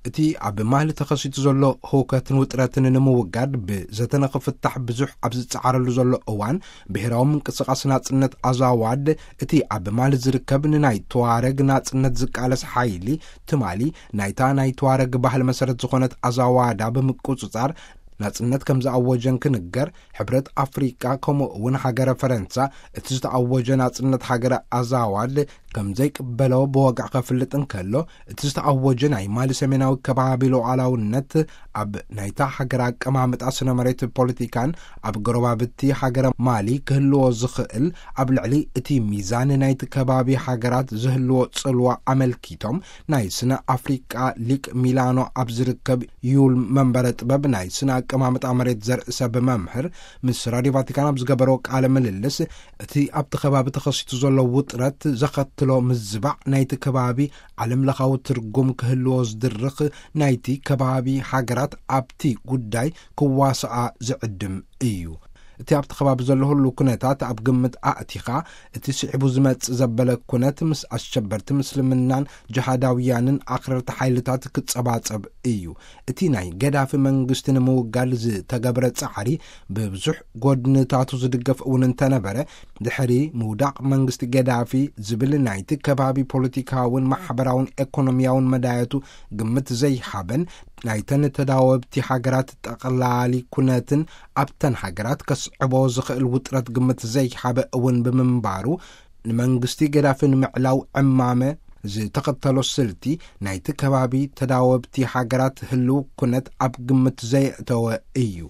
እቲ ኣብ ማሊ ተኸሲቱ ዘሎ ህውከትን ውጥረትን ንምውጋድ ብዘተ ንኽፍታሕ ብዙሕ ኣብ ዝጸዓረሉ ዘሎ እዋን፣ ብሄራዊ ምንቅስቓስ ናጽነት ኣዛዋድ እቲ ኣብ ማሊ ዝርከብ ንናይ ተዋረግ ናጽነት ዝቃለስ ሓይሊ፣ ትማሊ ናይታ ናይ ተዋረግ ባህሊ መሰረት ዝኾነት ኣዛዋዳ ብምቁጽጻር ናጽነት ከም ዝኣወጀን ክንገር፣ ሕብረት ኣፍሪቃ ከምኡ እውን ሃገረ ፈረንሳ እቲ ዝተኣወጀ ናጽነት ሃገረ ኣዛዋድ ከም ዘይቅበሎ ብወግዒ ከፍልጥ እንከሎ፣ እቲ ዝተኣወጀ ናይ ማሊ ሰሜናዊ ከባቢ ሉዓላውነት ኣብ ናይታ ሃገር ኣቀማምጣ ስነ መሬት ፖለቲካን ኣብ ጎረባብቲ ሃገረ ማሊ ክህልዎ ዝኽእል ኣብ ልዕሊ እቲ ሚዛን ናይቲ ከባቢ ሃገራት ዝህልዎ ጽልዋ ኣመልኪቶም፣ ናይ ስነ ኣፍሪቃ ሊቅ ሚላኖ ኣብ ዝርከብ ዩል መንበረ ጥበብ ናይ ስነ ኣቀማምጣ መሬት ዘርኢ ሰብ መምህር ምስ ራድዮ ቫቲካን ኣብ ዝገበሮ ቃለ ምልልስ፣ እቲ ኣብቲ ከባቢ ተኸሲቱ ዘሎ ውጥረት ዘኸትሎ ምዝባዕ ናይቲ ከባቢ ዓለም ለኻዊ ትርጉም ክህልዎ ዝድርኽ ናይቲ ከባቢ ሃገራት ኣብቲ ጉዳይ ክዋስኣ ዝዕድም እዩ። እቲ ኣብቲ ከባቢ ዘሎ ህሉ ኩነታት ኣብ ግምት ኣእቲኻ፣ እቲ ስዒቡ ዝመጽእ ዘበለ ኩነት ምስ ኣሸበርቲ ምስልምናን ጅሃዳውያንን ኣኽረርቲ ሓይልታት ክጸባጸብ እዩ። እቲ ናይ ገዳፊ መንግስቲ ንምውጋድ ዝተገብረ ጻዕሪ ብብዙሕ ጎድንታቱ ዝድገፍ እውን እንተነበረ፣ ድሕሪ ምውዳቕ መንግስቲ ገዳፊ ዝብል ናይቲ ከባቢ ፖለቲካውን ማሕበራውን ኤኮኖሚያውን መዳየቱ ግምት ዘይሃበን፣ ናይተን ተዳወብቲ ሃገራት ጠቕላሊ ኩነትን ኣብተን ሃገራት ከስዕቦ ዝኽእል ውጥረት ግምት ዘይሃበ እውን ብምንባሩ፣ ንመንግስቲ ገዳፊ ንምዕላው ዕማመ ዝተኸተሎ ስልቲ ናይቲ ከባቢ ተዳወብቲ ሃገራት ህልው ኩነት ኣብ ግምት ዘየእተወ እዩ።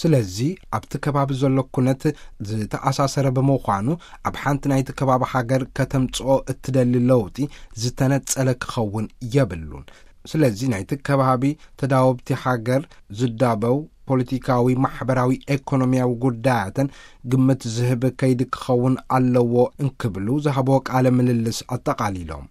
ስለዚ ኣብቲ ከባቢ ዘሎ ኩነት ዝተኣሳሰረ ብምዃኑ፣ ኣብ ሓንቲ ናይቲ ከባቢ ሃገር ከተምጽኦ እትደሊ ለውጢ ዝተነጸለ ክኸውን የብሉን። ስለዚ ናይቲ ከባቢ ተዳወብቲ ሃገር ዝዳበው ፖለቲካዊ፣ ማሕበራዊ፣ ኤኮኖሚያዊ ጉዳያትን ግምት ዝህብ ከይዲ ክኸውን ኣለዎ እንክብሉ ዝሃብዎ ቃለ ምልልስ ኣጠቓሊሎም።